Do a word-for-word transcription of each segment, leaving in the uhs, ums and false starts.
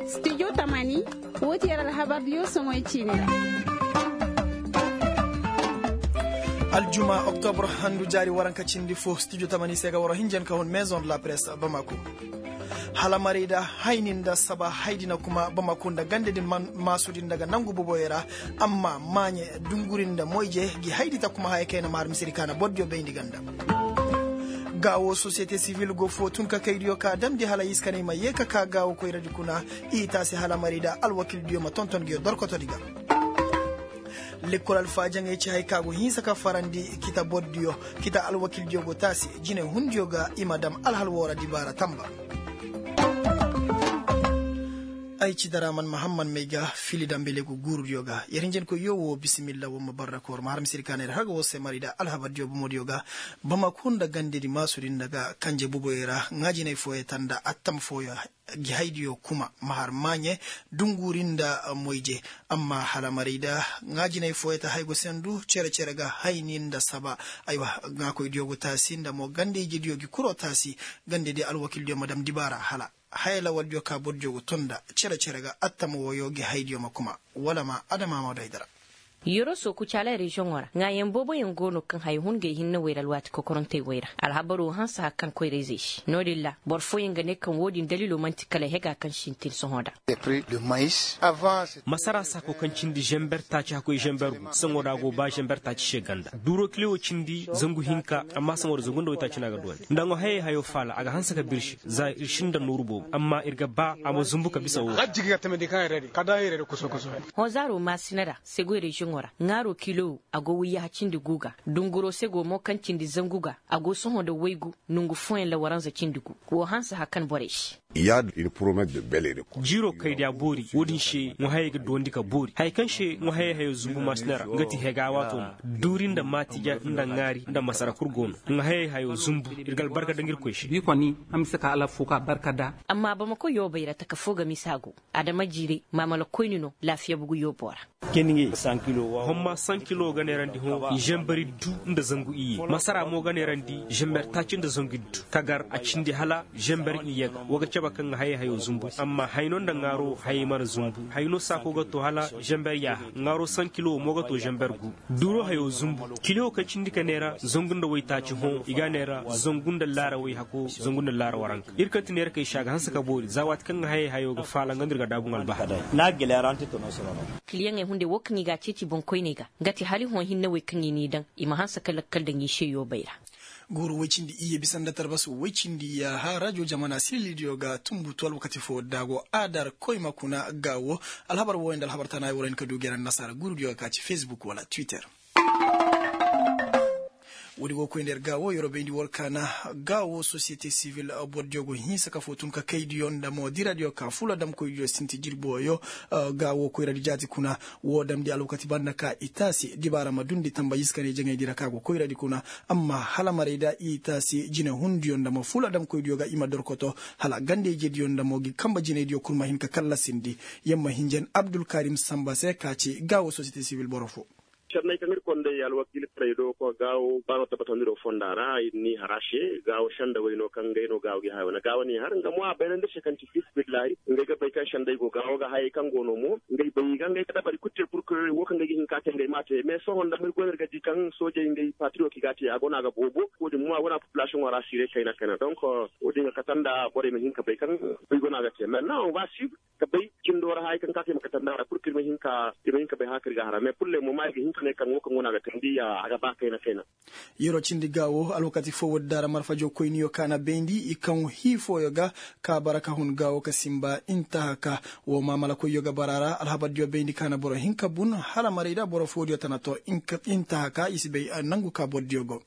Studio tamani, woo ti yer alhabardiyo soŋoy ciini ra. Aljuma oktobr handu jaari waranka cindi fo studio tamani se ga war hinjan ka hun maison de la presse bamako. Hala maray da hayni nda saba haydi na kuma bamako nda gande din maasudi nda ga nangu boboyo ra. Amma maaɲe dunguri nda moyje gi haydi ta kuma haya kayna ma har misiri kaana bordiyo bayndi ganda. Gaawo sosiyete sivil go foo tun ka kaydiyo ka damndi hala i si kanay ma yee ka kaa gaawo koyradi kuna. I taasi hala maray da alwakildiyo ma tonton ngiyo dorkotodi ga. Lekkol alfaajaŋey ci hay ka go hinsa ka farandi kita bordiyo. Kita alwakildiyo go taasi jinay hundiyo ga i ma dam alhal woo ra dibaara tamba. Ay ci daraman mahamman may ga fili dambelegu guurudiyo ga yer hinjankoyyo woo bisimilla woo ma barra koor ma har misiri kaanay ra har ga woo se mari da alhabardiyo bomodiyo ga. Bamako nda gandedi maasudi nda ga kanje boboyo ra ŋaajinay fooyey ta nda attam fooyo gi haydiyo kuma ma har maaɲe dunguri nda moyje. Amma hala maray da ŋaajinay fooyey ta hay go sendu cere-cere ga hayni nda saba. Aywa ŋaakoydiyo go taasi nda mo gande-ijediyo gi kuroo taasi. Gandedi alwakildiyo ma dam dibaara hala haya lawaldiyo ka bordiyo go ton nda cere-cere ga attama wooyo gi haydiyo ma kuma wala ma adama ma do ay dara. Yeroo sooku caala reziyoŋo ra ŋaayaŋ booboyaŋ go no kaŋ haya hun gay hinne wey ra alwaati kokorantey wey ra. Alhabaroo hanse har kaŋ koyra-izey se no-din ra boro fooyaŋ ga ne kaŋ woo-din daliloo man'ti kala hega kaŋ sintin sohõ nda. Masara saako kaŋ cindi zember taaci hakkoy zember gu saŋo da a go ba zember taaci se ganda duuroo kile woo cindi zangu hinka amma saŋo da zangu nda waytaaci no a ga duwandi nda ŋwa hayey hayo faala a ga hanse ka birsi za ir sinda nooru boobo amma ir ga ba a ma zumbu ka bisa woo. Hõ zaaroo maasina ra sego reziyoŋo ra ŋaaroo kilo woo a go wayyaha cindi gu ga dunguroo sego mo kaŋ cindi zangu ga a go sohõ nda waygu nongu fooyaŋ ra waranza cindi gu woo hanse har kaŋ borey se. Jiiroo kaydiya boori woo din se ŋwa hayey ga duwandi ka boori haya kaŋ se ŋwa hayey hayo zumbu maasina ra nga ti hegaa waatoo ma duuri nda maatija nda ŋaari nda masara kul go no ŋwa hayey hayo zumbu ir ga albarka daŋ irkoy se. Amma bamako yoobay ra taka foo ga misa go adama jiiray maamala koyni no laafiya bugu yooboo ra. Homma sankilo ga neerandi hõ zember iddu nda zangu iyye masara mo ga neerandi zember taaci nda zangu iddu kagar a cindi hala zember iyye ga wa ga cabe kaŋ ga hayey hayo zumbu amma hayno nda ŋaaro hayey mana zumbu hayno saako ga to hala zember yaaha ŋaaro sankilo mo ga to zember gu. Duuroo hayo zumbu kiliyo kaŋ cindi ka neera zangu nda waytaaci hõ i ga a neera zangu nda laara wayhako zangu nda laara waranka ir kaŋ ti neera kay se a ga hanse ka boori za waati kaŋ ga hayey hayo ga faala nga no ir ga daabu ŋalba. Kiliyaŋey hunday woo kaŋ i ga a ceeci boŋkoyney ga nga ti hala i hõ hinne wey kaŋ i n'i daŋ i ma hanse ka lakkal daŋ i se yoobey ra. Guuru woy cindi iyye bisa nda tarbas woy cindi yaaha rajo jamana sililidiyo ga tumbutu alwakati foo da a go aadar koyma kuna gaawo. Alhabar wooyo nda alhabar tana ay war hin ka du gera nda nasaara guurudiyo ga ka ci fesbuk wala twitter. Woodi go koy nda yer gaawo yeroo bayndi war kaana gaawo sosiyete sivil bordiyo go hinsa ka foo tun ka kaydiyo nda mo diradiyo ka fuladamkoydiyo sinti jirbi wooyo. Gaawo koyradi jaati kuna woo damndi alwakati banda ka i taasi dibaara ma dundi tamba iska ne jaŋaydi ra ka go koyradi kuna. Amma hala maray da i taasi jinehundiyo nda mo fuladamkoydiyo ga i ma dorkoto hala ganda-ijediyo nda mo gi kamba jinaydiyo kul ma hin ka kallasindi. Yer ma hinjan abdulkarim samba se ka ci gaawo sosiyete sivil boro foo. Senney kaŋ ir konday alwakiil taray do ko gaawo ba no tabbatandi do fonda ra ir n'i har a se gaawo senda way no kaŋ ngey no gaawo gi haya wane gaawo n'i har nga mo a bayrandi se kaŋ ti fisbillahi ngey ga bay kaŋ sendey go gaawo ga hayey kaŋ go no mo ngey bay ga ngey ga dabari kul te purkirorey wo kaŋ ngey ga hin ka te ngey m'a te mais sohõ nda ma ir go no ir ga di kaŋ soojey ngey patriyo ki ga a te a go no a ga boobo wo-din mo a go no a populasiyoŋo ra siirey kayna kayna donk wo-din ga kate nda borey ma hin ka bay kaŋ bay go no a ga te mais na on va sib ka bay cindo ra haya kaŋ ka te ma kate nda ra purkir ma hin ka bay haka ir ga hara mais pulle mo ma ir ga hin ka ne kaŋ wo kaŋ go no a ga te ndi a ga ba kayna kayna. Yeroo cindi gaawo alwakati foo woodi daara marfajo koyniyo kaana bayndi i kaŋ hii fooyo ga ka bara ka hun gaawo ka sinba intahaka. Woo maamalakoyyo ga bara ra alhabardiyo bayndi kaana boro hinka bun hala maray da boro foodiyo tana to intahaka i si bay nangu ka bordiyo go.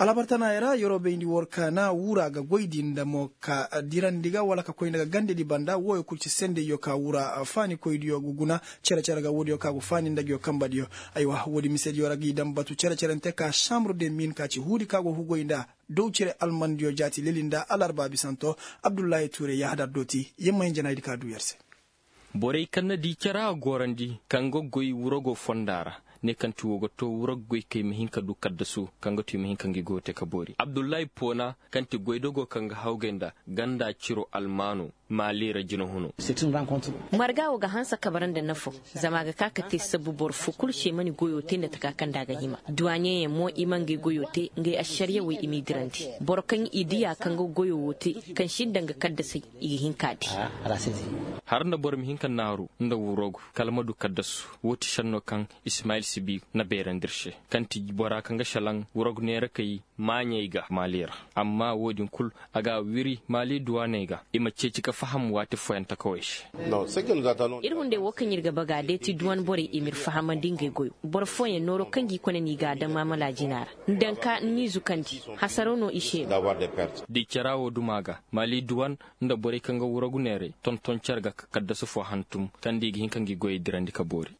Alhabar tanaaya ra yeroo bayndi war kaana wura ga goydi nda mo ka dirandi ga wala ka koy nda ga gandedi banda wooyo kul ci sendeyyo ka wura faanikoydiyo ga guna. Cere-cere ga woodiyo ka go faani nda nguyo kambadiyo. Aywa woodi misediyo ra g'i daŋ batu cere-cerente ka sambre de min ka ci huudi ka go hugoy nda dow cere almandiyo jaati leli nda alarba bisanto. Abdullahi tuure yahadar dooti yer ma hin janaydi ka duu yer se. Borey kaŋ na di cara a gorandi kaŋ ga goy wurago fonda ra. ne kaŋ ti wo ga to wurag goykey ma hin ka du kaddasu kaŋ ga tu i ma hin ka ngi goyo te ka boori abdullahi poona kaŋ ti goydogo kaŋ ga hawgay nda ganda ciro almaano maali ra jinahuno. Marga wo ga hanse ka bara nda nafo zama a ga ka ka te sabbu boro fo kulu se mana goyo te nda taka kaŋ nda a ga hima duwaɲeyaŋ mo i ma ngey goyo te ngey ašariyawey i m'i dirandi boro kaŋ i diya kaŋ ga goyo wo te kaŋ sinda nga kaddasey i ga hin k'a di. Har nda boro ma hin ka naaru nda wurogu kala ma du kaddasu wo ti šenno kaŋ ismayil sibi na beerandi ir se kaŋ ti bora kaŋ ga šelaŋ wurogu neerakey maaɲey ga maali ra. Amma wo-din kul a ga wiri maali duwaaney ga i ma ceeci ka faham waati fooyaŋ takawey se. Ir hunday wo kaŋ ir ga baga day ti duwan borey i m'ir fahamandi ngey goyo boro fooyaŋ nooro kaŋ g'i kone n'i ga a daŋ maamala jina ra nda nka n'i zukandi hasaro no i se no. Di cara wo duma ga maali duwan nda borey kaŋ ga wuragu neerey tonton care ga ka kaddasi fo hantum kaŋ nda i ga hin ka ngi goyey dirandi ka boori.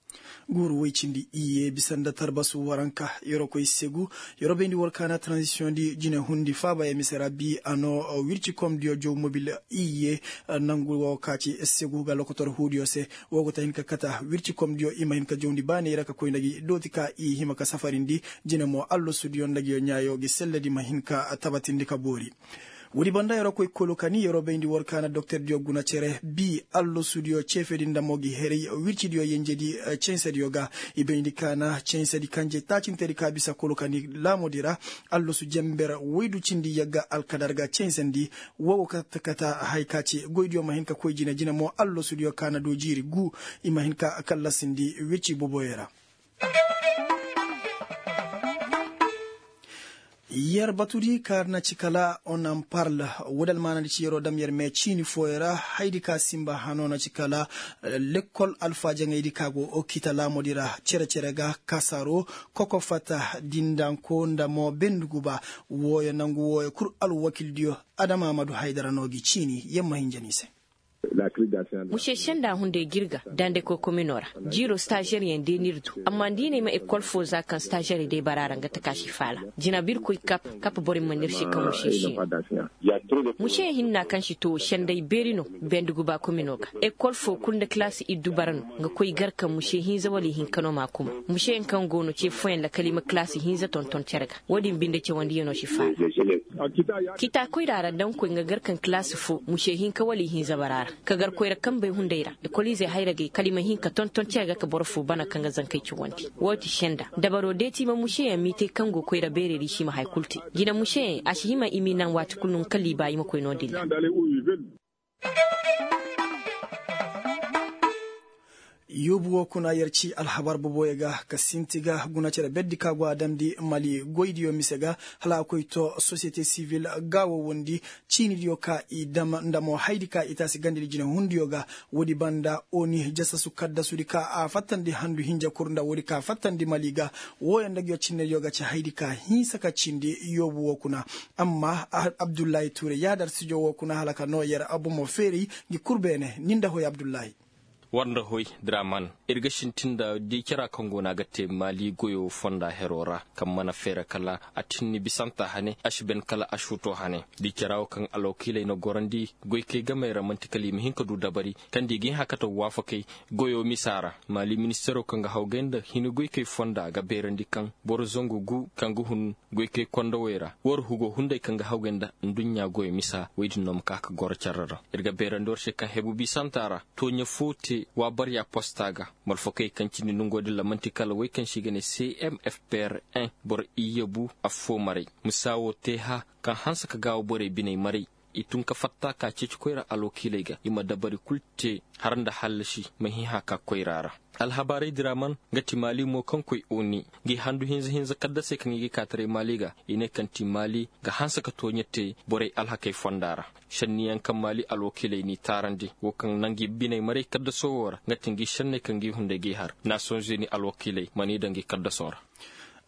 Guuru woy cindi iyye bisa nda tarbasu waranka yorokoy segu. Yorobayndi war kaana transisiyoŋ di jine hundi faaba ya mise ra bi a no wircikomdiyo jow mobil iyye nangu wo ka ci segu ga lokotor huudiyo se. Wo go ta hin ka kata wircikomdiyo i ma hin ka jawndi baaney ra ka koy nda gi dooti ka i hima ka safarindi jine mo allasudiyo nda gi ɲaayo gi selledi ma hin ka tabatindi ka boori. Woodi banda yeroo koy kolo ka ni yeroo bayndi war kaana doktordiyo guna cere bi allasudiyo ceefedi nda mo gi heray wircidiyo yenjedi. Censediyo ga i bayndi kaana censedi kanje taacintedi ka bisa kolo ka ni laamodi ra. Allasu jember woydu cindi yagga alkadar ga censandi. Wo go kata kata hay ka ci goydiyo ma hin ka koy jine jine mo allasudiyo kaana do jiiri gu i ma hin ka kallasindi wirci boboyo ra. Yer batudi ka na ci kala on en parle. Woodi almaanadi ci yeroo dam yer mee ciini fooyo ra haydi ka sinba hanoo na ci kala lekkol alfaajaŋaydi ka go okita laamodi ra cere-cere ga kasaro koko fata dindanko nda mo benduguba. Wooyo nangu wooyo kul alwakildiyo adama amadu haydara no gi ciini yer ma hinja ni se. Muse senda hunday jirga dande koy komino ra. Jiiro stažeryaŋ day n'ir du amma nda i na ay ma ekol fo za kaŋ stažerey day bara ra nga taka si faala. Jina birkoy kap kap borey mana ir se ka muse si no. Muse hinna kaŋ si to senday beeri no. Benduguba komino ga ekol fo kul nda kalaasi iddu bara no. Nga koy gar kaŋ muse hinza wala ihinka no m'a kuma. Museyaŋ kaŋ go no ce fooyaŋ lakal i ma kalaasi hinza tonton cere ga. Wo-din binde cawandiyano si faala. Kita koyra ra daŋ koy nga gar kaŋ kalaasi fo muse hinka wala ihinza bara ra. Ka gar koyra kambey hunday ra ekoliizey hayragey kala i ma hin ka tonton cere ga ka boro fo bana kaŋ ga zankey cawandi. Wo ti senda dabaro deeti ma museyaŋ m'i te kaŋ go koyra beerey ra i si ma hay kulu te. Jina museyaŋ a si hima i m'i naŋ waati kulu no nga kala i ba i ma koy no-din ra. Yoobu woo kuna yer ci alhabar boboyo ga ka sinti ga guna cere berdi ka go a damndi mali goydiyo mise ga. Hala a koy to sosiyete sivil ga woo wondi ciinidiyo ka i dam nda mo haydi ka i taasi gandedi jinahundiyo ga. Woodi banda oni jasasu kaddasudi ka a fattandi handu hinja kur nda woodi ka fattandi mali ga. Wooyo nda nguyo cinnediyo ga ci haydi ka hinsa ka cindi yoobu woo kuna. Amma abdullahi tuure yaadar sijo woo kuna hala ka noo yer bomo feeray. Ngi kul beene ni nda hoy abdullahi. War nda hoy draman ir ga sintin nda di cara kaŋ go no a ga te maali goyo fonda hero ra kaŋ mana feera kala a tinni bisanta hane a si ben kala a suuto hane. Di cara wo kaŋ alwakiiley na gorandi goykey gamey ra man'ti kala i ma hin ka du dabari kaŋ nda i ga hin hakata waafakey goyo misa ra. Maali ministero kaŋ ga hawgay nda hini goykey fonda ga beerandi kaŋ boro zangu gu kaŋ ga hun goykey kondowey ra war hugo hunday kaŋ ga hawgay nda nduɲɲa goyo misa woy din no ma ka ka goro care ra. Ir ga beerandi war se kaŋ hebu bisanta ra tooɲe fo te waabarya posta ga. Malfakey kaŋ cindi nongo din ra man'ti kala wey kaŋ se i ga ne cmfpr un boro iyye bu affo maray. Misa wo te ha kaŋ hanse ka gaawo borey biney maray. I tun ka fatta ka ceeci koyra alwakiiley ga i ma dabari kul te har nda hallasi ma hin hã ka koyra ra. Alhabaarey diraman nga ti maali mo kaŋ koy oni ngi handu hinza hinza kaddasey kaŋ i ga kaataray maali ga i ne kaŋ ti maali ga hanse ka tooɲe te borey alhakey fonda ra. Šenniyaŋ kaŋ maali alwakiiley n'i taarandi wo kaŋ na ngi biney maray kaddaso wo ra nga ti ngi šenney kaŋ ngi hunday g'i har nasoŋ zeni alwakiiley mana i daŋ ngi kaddaso ra.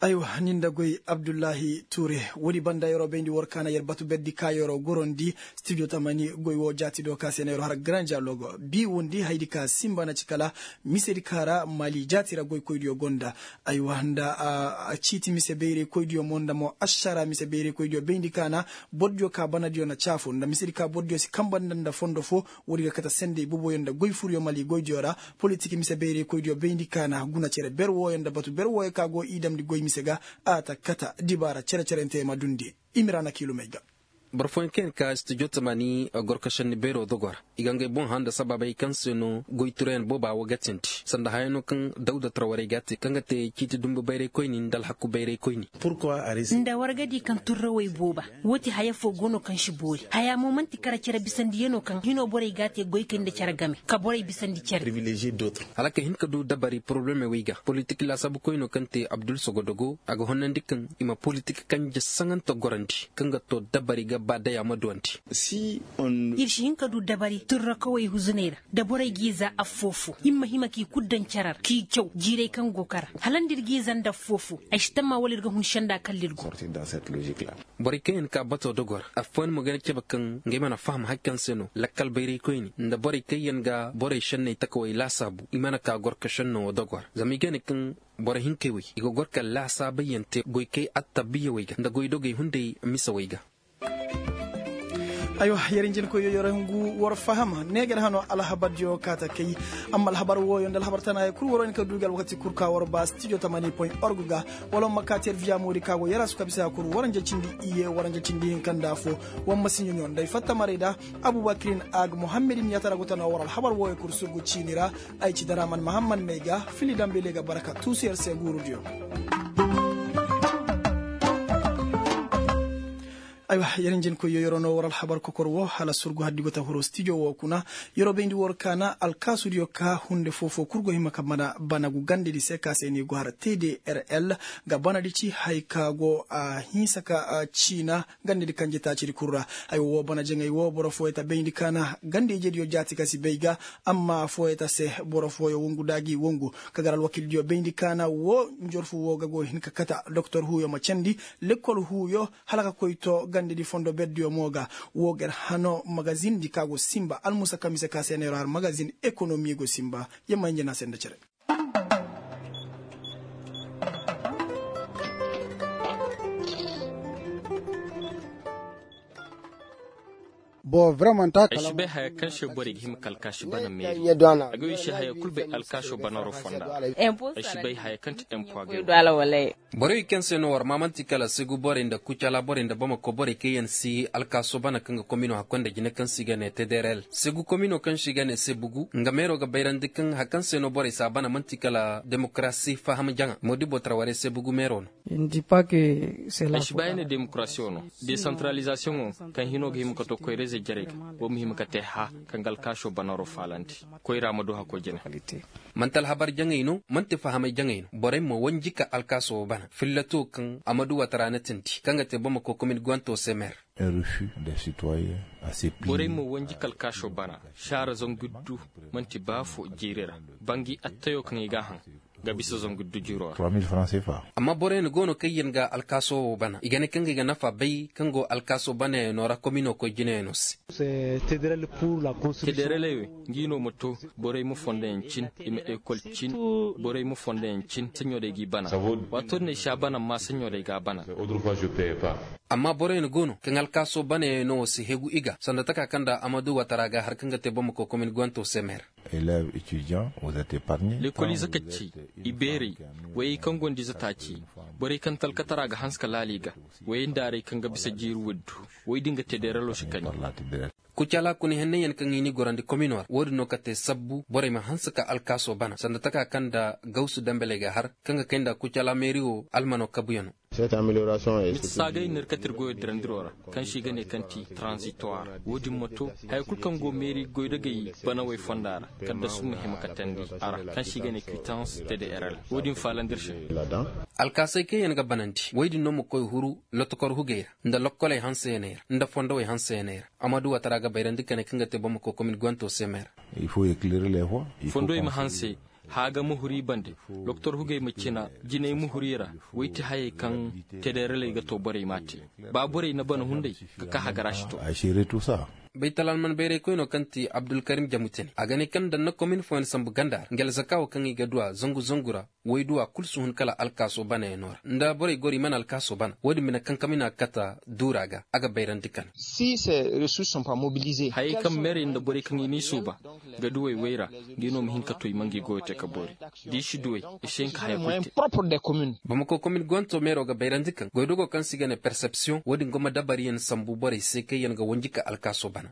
Aywa, ni nda goy abdullahi tuure. Woodi banda yer'o bayndi war kaana yer batu berdi ka yer'o gorondi. Studio tamani goy woo jaati do ka se na yer'o har grand dialogue bi wondi haydi ka sinba na ci kala misedi ka ra mali jaati ra goykoydiyo gonda. Aywa nda a ciiti mise bayraykoydiyo mo nda mo ašara mise bayraykoydiyo bayndi ka na bordiyo ka banadiyo na caafu nda misedi ka bordiyo si kanba nda nda fondo foo. Woodi ga kate sendey boboyo nda goy furyo mali goydiyo ra. Politik mise bayraykoydiyo bayndi ka na guna cere ber wooyo nda batu ber wooyo ka go i damndi goy mise ga. A ta kate dibaara cere-cerente ma dundi. Imira na kiilumey ga. Boro fooyaŋ kaŋ yaŋ ka studio tamani gorko šenni beeroo dogo ra. I ga ngey boŋ hã nda sabaabey kaŋ se no goy turayaŋ booba wo ga tindi sanda haya no kaŋ dawda tara warey ga a te kaŋ ga te ciiti dumbu bayraykoyni nda alhaku bayraykoyni. Nda war ga di kaŋ turrawey booba. Woo ti haya foo go no kaŋ si boori haya mo man'ti kara cere bisandiyanoo kaŋ hinoo borey ga a te goykey nda cere game ka borey bisandi cere. Hala ka hin ka du dabari porobalemey wey ga politik laasaabukoynoo kaŋ te abdul sogodogo a ga honnandi kaŋ i ma politik kanje saŋante gorandi kaŋ ga too dabari ga ba day a ma duwandi. Ir si hin ka du dabari turrakawey huzuney ra da borey g'i za affoo foo ir ma hima k'i kul daŋ cere ra k'i caw jiirey kaŋ go kara hala nda ir g'i za nda affoo foo. Ay si tammaa wala ir ga hun senda kalla ir go. Borey kaŋ yaŋ ka batoo dogo ra affooyaŋ mo ga ne cebe kaŋ ngey mana faham hari kaŋ se no lakkal bayraykoyni nda borey kaŋ yaŋ ga borey šenney takawey laasaabu i mana ka gorka šennoo dogo ra zama i ga ne kaŋ boro hinkey wey i ga gor ka laasaabayyaŋ te goykey attabiyawey ga nda goydogey hunday misawey ga. Aywa, yer injinkoyyo yer hungu war faham ne ga yer hano alhabardiyo kaata kay. Amma alhabar wooyo nda alhabar tana ya kul waro ni ka du ga alwakati kul ka war ba studio tamani point org ga. Wala ma kaati yer viya moodi ka go yer a su ka bisa ya kul waranja cindi iye waranja cindi hinka nda fo. War ma si ɲoɲo nda ay fatta maray da abubakirin a ga muhammedin ya tara go tana war alhabar wooyo kul sugu ciini ra. Ay ci daraman mahammad may ga fili dambele ga barka tuusu yer se guurudiyo. Aywa, yer njin koy yo yeroo no war alhabar kokor woo hala surgu haddi go ta huru stijo woo kuna. Yeroo bayndi war kaana alkaasudiyo ka hunde foofoo kul go hima ka bana banagu gandedi se ka se ni go har tdrl. Ga banadi ci haya ka go a hinsa ka ciina gandedi kanje taacidi kul ra. Haya woo bana jaŋay woo boro fooyo ta bayndi kaana gande-ijediyo jaati ka si bay ga. Amma fooyo ta se boro fooyo wongu nda a g'i wongu ka gar alwakildiyo bayndi kaana woo njorfu woo ga go hin ka kata doktor huuyo ma candi. Lekkol huuyo hala ka koy to gandedi fondo berdiyo mo ga. Woo ga ir hano magazindi ka go sinba almusa kamise ka se neero har magazin ekonomi go sinba. Yamma hinja na se nda cere. Ay si bay haya kaŋ se borey ga hima ka alkaasi bana meeri. A ga wi se haya kul bay alkaaso banaro fonda. Ay si bay haya kaŋ ti empo a ga wi. Borey kaŋ se no war ma man'ti kala segu borey nda kucala borey nda bamako borey kaŋ yaŋ si alkaaso bana kaŋ ga komino hakkoy nda jine kaŋ se i ga ne tdrl segu komino kaŋ se i ga ne sebugu nga meero ga bayrandi kaŋ haya kaŋ se no borey si a bana man'ti kala demokarasi faham jaŋa moodibo tara warey sebugu meero no. Ay si ba ay ne demokarasiyo no desantaralizasiyoŋo kaŋ hino ga hima ka to koyrayzey jarey ga. Wo ma hima ka te hã kaŋ ga alkaaso banaro faalandi. Koyra ma du hakoo jine. Man'ti alhabar jaŋey no man'ti fahamay jaŋey no borey ma wanji ka alkaaso wo bana fillato kaŋ a ma du watara na tindi kaŋ ga te bamako komin guwanto se meer. Borey ma wanji ka alkaaso bana saara zangu iddu. Man'ti baafo jiiri ra bangi attayo kaŋ i ga a haŋ ga bisa zangu iddu jiiro ra. Amma boroyaŋ go no kaŋ yaŋ ga alkaaso wo bana i ga ne kaŋ ga i ga nafa bay kaŋ go alkaaso banayaŋo ra komino koy jinayaŋo se. Tedereley wey ngi no ma to borey ma fondoyaŋ cin i ma ekol cin. Borey ma fondoyaŋ cin saɲo day g'i bana. Waato din ay si a bana amma saɲo day g'a bana. Amma boroyaŋ go no kaŋ alkaaso banayaŋo si hegu i ga sanda taka kaŋ nda amadu watara ga har kaŋ ga te bamako komin guwanto se meer. Lekoliize ka ci i beerey wayey kaŋ gonda ize taaci borey kaŋ talkatara ga hanse ka laali i ga. Wayey nda arey kaŋ ga bisa jiiri wuddu wayey din ga te deeralo si kani. Kucala kuna henney yaŋ kaŋ i n'i gorandi komino ra wo-din no ka te sabbu borey ma hanse ka alkaaso bana sanda taka kaŋ nda gawsu dambeley ga har kaŋ ga kay nda kucala meeri wo almano kabuyaŋo. Miti saagay no ir kate ir goyo dirandiro ra kaŋ se i ga ne kaŋ ti transitoire wo-din ma to haya kulu kaŋ go meeri goydogey banawey fonda ra kala da su ma hima ka teendi a ra kaŋ se i ga ne kwitans tdrl wo-din faalandi ir se. Alkaasey kaŋ yaŋ ga banandi wey din no ma koy huru lotokor hugey ra nda lokkoley hanseyaney ra nda fondowey hanseyaney ra. Amadu watara ga bayrandi kane kaŋ ga te bamako komin guwanto se meer. Fondowey ma hanse Haaga muhuri bande, doktor hugey ma cina jinay muhuri ra. Woy ti hayey kaŋ tedereley ga to borey m'a te. Ba borey na bana hunday, ga ka hagara si to. Baytal alman bayraykoyno kaŋ ti abdulkarim jamutene a ga ne kaŋ nda nda komin fooyaŋ sambu ganda ra nga alzaka wo kaŋ i ga du a zangu zangu ra. Woy du a kulu si hun kala alkaaso banayaŋo ra nda borey goro i mana alkaaso bana wo-din bine kaŋ kaŋ mina ga kata duura ga a ga bayrandi kala. Hayey kaŋ meerey nda borey kaŋ i n'i suuba, ga duwey woy ra, ngi no ma hin ka to i ma ngi goyo te ka boori. Da i si duwey, i si hin ka haya kulu te. Bamako komin gonto meero ga bayrandi kaŋ goydogo kaŋ se i ga ne persepsiyoŋ wo-din go ma dabariyaŋ sambu borey se kaŋ yaŋ ga wanji ka alkaaso ban.